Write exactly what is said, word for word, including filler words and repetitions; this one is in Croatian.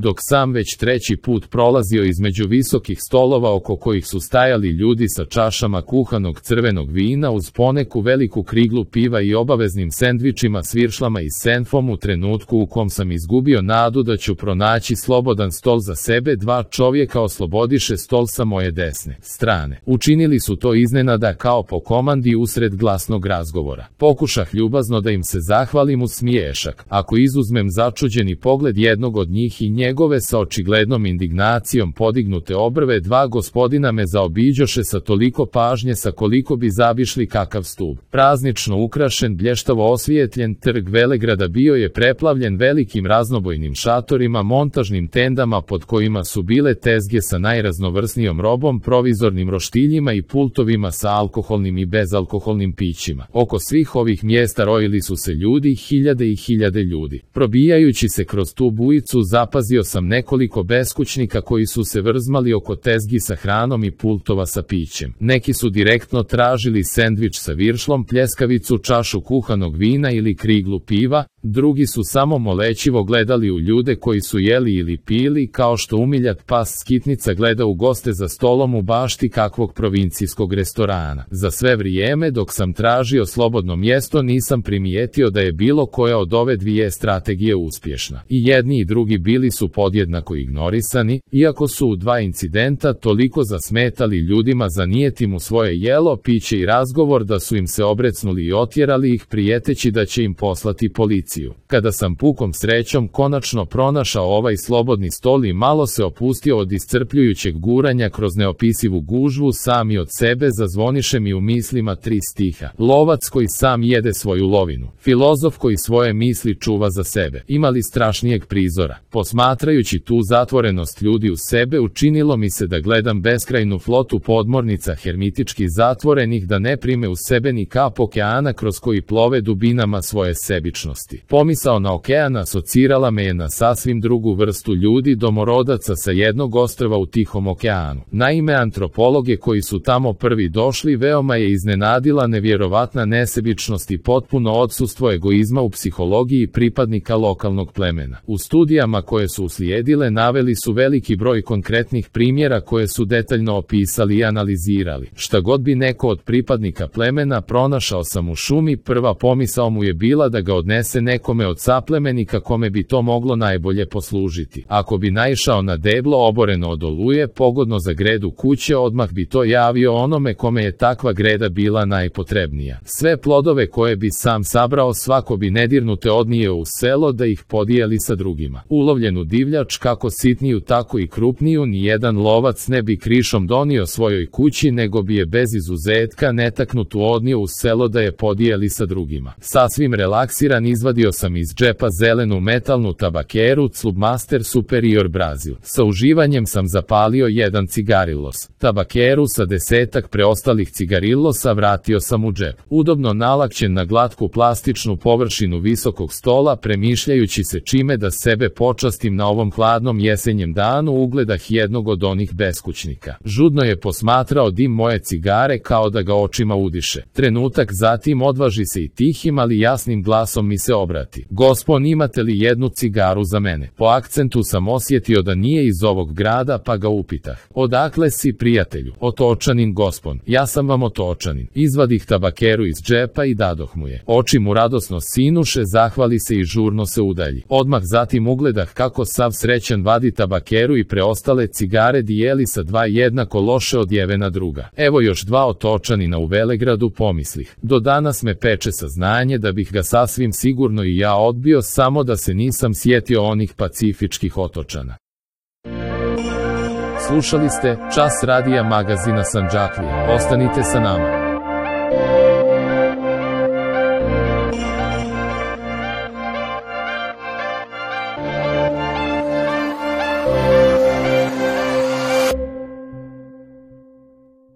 dok sam već treći put prolazio između visokih stolova oko kojih su stajali ljudi sa čašama kuhanog crvenog vina uz poneku veliku kriglu piva i obaveznim sendvičima s viršlama i senfom, u trenutku u kom sam izgubio nadu da ću pronaći slobodan stol za sebe, dva čovjeka oslobodiše stol sa moje desne strane. Učinili su to iznenada kao po komandi usred glasnog razgovora. Pokušah ljubazno da im se zahvalim uz smiješak. Ako izuzmem začuđeni pogled jednog od njih i njegove sa očiglednom indignacijom podignute obrve, dva gospodina me zaobiđoše sa toliko pažnje sa koliko bi zabišli kakav stub. Praznično ukrašen, blještavo osvijetljen trg Velegrada bio je preplavljen velikim raznobojnim šatorima, montažnim tendama pod kojima su bile tezge sa najraznovrsnijom robom, provizornim roštiljima i pultovima sa alkoholnim i bezalkoholnim pićima. Oko svih ovih mjesta rojili su se ljudi, hiljade i hiljade ljudi. Probijajući se kroz tu bujicu, zapazio sam nekoliko beskućnika koji su se vrzmali oko tezgi sa hranom i pultova sa pićem. Neki su direktno tražili sendvič sa viršlom, pljeskavicu, čašu kuhanog vina ili kriglu piva, drugi su samo molećivo gledali u ljude koji su jeli ili pili, kao što umiljat pas skitnica gleda u goste za stolom u bašti kakvog provincijskog restorana. Za sve vrijeme dok sam tražio slobodno mjesto nisam primijetio da je bilo koja od ove dvije strategije uspješna. I jedni i drugi bili su podjednako ignorisani, iako su u dva incidenta toliko zasmetali ljudima zanijeti mu svoje jelo, piće i razgovor da su im se obrecnuli i otjerali ih prijeteći da će im poslati policiju. Kada sam pukom srećom konačno pronašao ovaj slobodni stol i malo se opustio od iscrpljujućeg guranja kroz neopisivu gužvu, sami od sebe zazvoniše mi u mislima tri stiha. Lovac koji sam jede svoju lovinu, filozof koji svoje misli čuva za sebe. Imali strašnijeg prizora. Posmatrajući tu zatvorenost ljudi u sebe, učinilo mi se da gledam beskrajnu flotu podmornica hermitički zatvorenih da ne prime u sebe ni kap okeana kroz koji plove dubinama svoje sebičnosti. Pomisao na okean asocirala me je na sasvim drugu vrstu ljudi, domorodaca sa jednog ostrva u Tihom okeanu. Naime, antropologe koji su tamo prvi došli veoma je iznenadila nevjerovatna nesebičnost i potpuno odsustvo egoizma u psihologiji pripadnika lokalnog plemena. U studijama koje su uslijedile naveli su veliki broj konkretnih primjera koje su detaljno opisali i analizirali. Šta god bi neko od pripadnika plemena pronašao sam u šumi, prva pomisao mu je bila da ga odnese nekome od saplemenika kome bi to moglo najbolje poslužiti. Ako bi naišao na deblo oboreno od oluje, pogodno za gredu kuće, odmah bi to javio onome kome je takva greda bila najpotrebnija. Sve plodove koje bi sam sabrao svako bi nedirnute odnio u selo da ih podijeli sa drugima. Ulovljenu divljač, kako sitniju tako i krupniju, nijedan lovac ne bi krišom donio svojoj kući, nego bi je bez izuzetka netaknutu odnio u selo da je podijeli sa drugima. Sasvim relaksiran izvadio sam iz džepa zelenu metalnu tabakeru Clubmaster Superior Brazil. Sa uživanjem sam zapalio jedan cigarillos. Tabakeru sa desetak preostalih cigarillosa vratio sam u džep. Udobno nalakćen na glatku plastičnu površinu visokog stola, premišljajući se čime da sebe počastim na ovom hladnom jesenjem danu, ugledah jednog od onih beskućnika. Žudno je posmatrao dim moje cigare kao da ga očima udiše. Trenutak zatim odvaži se i tihim ali jasnim glasom mi se obrati. Gospon, imate li jednu cigaru za mene? Po akcentu sam osjetio da nije iz ovog grada, pa ga upitah. Odakle si, prijatelju? Otočanin, gospon. Ja sam vam otočanin. Izvadih tabakeru iz džepa i dadoh mu je. Oči mu radosno sinuše, zahvali se i žurno se udalji. Odmah zatim ugledah kako sav srećan vadi tabakeru i preostale cigare dijeli sa dva jednako loše odjevena druga. Evo još dva otočanina u Velegradu, pomislih. Do danas me peče saznanje da bih ga sasvim sigurno i ja odbio, samo da se nisam sjetio onih pacifičkih otočana. Slušali ste Čas radija magazina Sandžaklija. Ostanite sa nama.